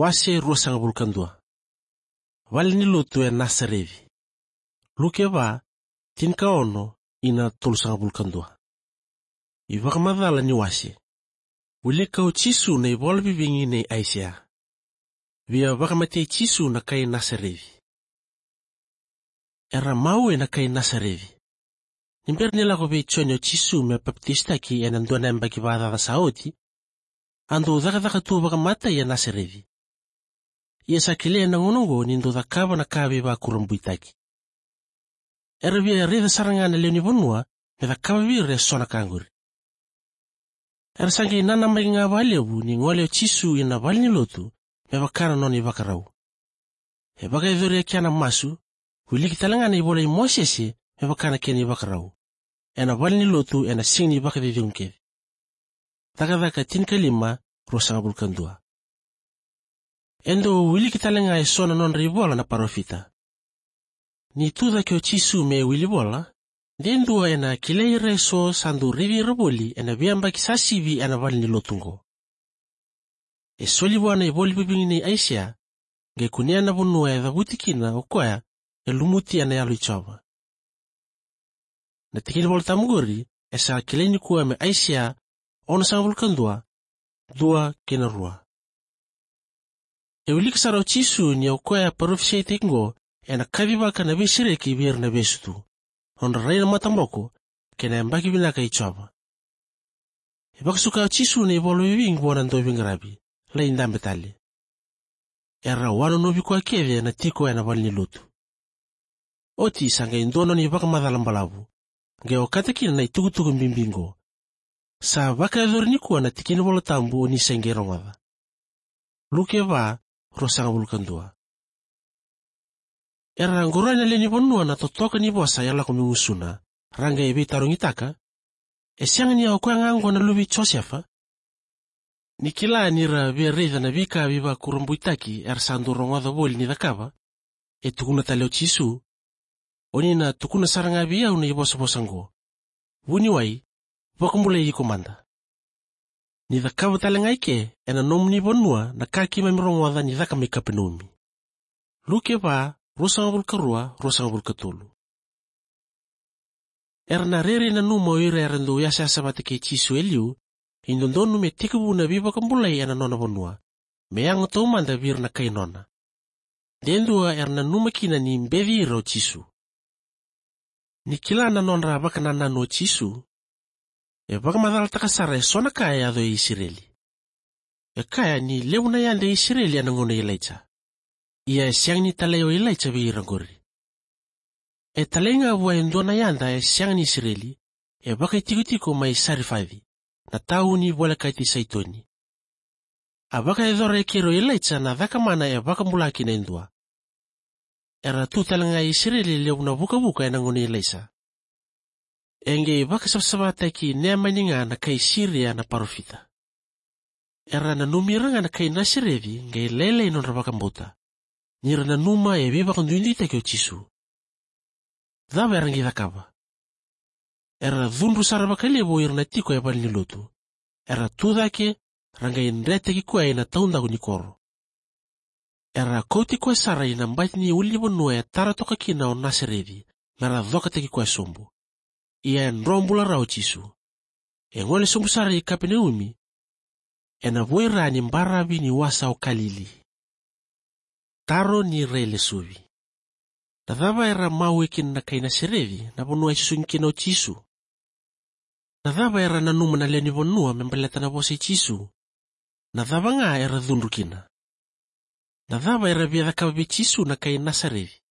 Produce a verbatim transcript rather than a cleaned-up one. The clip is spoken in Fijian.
Wase ruasagavulu ka dua. Valenilotu e Nasareci. Luke va, tinikaono ina tolusagavulu ka dua. iVakamacala ni wase. Wilika o Jisu na ivola vivigi nei Aisea. Via vakamatei Jisu na kai Nasareci. Era mau ena kai Nasareci. Ni bera ni lako vei Joni o Jisu me papitaisotaki ena dua na yabaki vakacaca sa oti, a dau cakacaka tu vakamatai e Nasareci. Ia sa kilai ena gauna oqo ni dau cakava na ka veivakurabuitaki. Era via raica sara ga na lewe ni vanua me cakava vei ira eso na ka qori. Era sa qai nanamaki ga vakalevu ni gole o Jisu ina valenilotu me vaka na nona ivakarau. E vakayacori e kea na masu, wiliki tale ga na ivola i Mosese me vaka na kena ivakarau ena valenilotu ena siga ni vakacecegu kece. Cakacaka tinikalima, ruasagavulu ka dua. E dau wiliki tale ga eso na nodra ivola na parofita. Ni tucake o Jisu me wilivola, de dua ena kilai ira eso sa dau raici ira voli ena veiyabaki sa sivi ena valenilotu oqo. E soli vua na ivola vivigi nei Aisea, qai kunea na vanua e cavuti kina o koya e lumuti ena Yalo i Jiova. Na tikina iVolatabu qori e sa kilai nikua me Aisea onosagavulu ka dua, dua kei na rua. E wiliki sara o Jisu ni o koya parofisaitaki oqo ena kacivaka na veisereki vei ira na vesu tu, nodra rai na mataboko, kei na yabaki vinaka i Jiova. E vakasuka o Jisu na ivola vivigi vua na dauveiqaravi, lai dabe tale. Era wanonovi koya kece ena tiko ena valenilotu. Oti sa qai dua nona ivakamacala balavu, qai okata kina na itukutuku bibi oqo. Sa vakayacori nikua na tikina iVolatabu o ni sa qai rogoca. Luke va, ruasagavulu ka dua. Era qoroya na lewe ni vanua na totoka ni vosa e lako mai gusuna, ra qai veitarogitaka: E sega ni o koya ga oqo na luve i Josefa? Ni kila ni ra via raica na veika veivakurabuitaki era sa dau rogoca voli ni cakava, e tukuna tale o Jisu: O ni na tukuna sara ga vei au na ivosavosa oqo: Vuniwai, vakabulai iko mada. Ni cakava tale ga i ke ena nomuni vanua na ka keimami rogoca ni caka mai Kapenaumi. Luke va, ruasagavulu ka rua, ruasagavulu ka tolu. Era na rairai nanuma o ira era dau yasayasa vata kei Jisu e liu, e dodonu me tekivu na veivakabulai ena nona vanua, me yaga taumada vei ira na kai nona. De dua era nanuma kina ni beci ira o Jisu. Ni kila na nodra vakanananu o Jisu, e vakamacalataka sara eso na ka e yaco e Isireli. E kaya ni levu na yada e Isireli ena gauna i Ilaija. Ia e sega ni talai o Ilaija vei ira qori. E talai ga vua e dua na yada e sega ni Isireli, e vakaitikotiko mai Sarifaci, na tauni volekati Saitoni. A vakayacora e keri o Ilaija na cakamana e vakabula kina e dua. Era tu tale ga e Isireli e levu na vukavuka ena gauna i Ilaija. E qai vakasavasavataki Neamani ga na kai Siria na parofita. Era nanumi ira ga na kai Nasareci qai lailai nodra vakabauta, ni ra nanuma e veivakaduiduitaki o Jisu. Cava era qai cakava? Era cudru sara vakalevu o ira na tiko e valenilotu. Era tucake, ra qai dretaki koya ina taudaku ni koro. Era kauti koya sara ina bati ni ulunivanua e tara toka kina o Nasareci, me ra cokataki koya sobu. Ia e dro bula rawa o Jisu. E gole sobu sara i Kapenaumi, ena voira ni baravi ni wasa o Kalili. Taro ni railesuvi. Na cava era mawe kina na kai Nasareci, na vanua e susugi kina o Jisu? Na cava era nanuma na lewe ni vanua me baleta na vosa i Jisu? Na cava ga era cudru kina? Na cava era via cakava vei Jisu na kai Nasareci?